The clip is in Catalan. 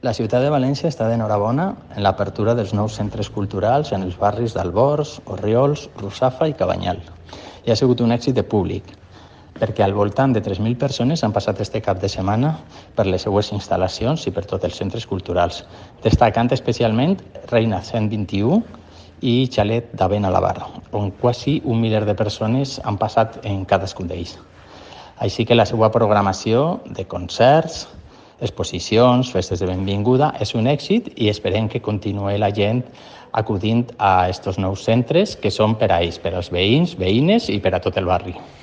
La ciutat de València està d'enhorabona en l'apertura dels nous centres culturals en els barris d'Albors, Orriols, Russafa i Cabanyal. I ha sigut un èxit de públic, perquè al voltant de 3.000 persones han passat este cap de setmana per les seues instal·lacions i per tots els centres culturals, destacant especialment Reina 121 i Xalet d'Avent a la Barra, on quasi 1 miler de persones han passat en cadascun d'ells. Així que la seva programació de concerts, exposicions, festes de benvinguda, és un èxit i esperem que continuï la gent acudint a aquests nous centres que són per a ells, per als veïns, veïnes i per a tot el barri.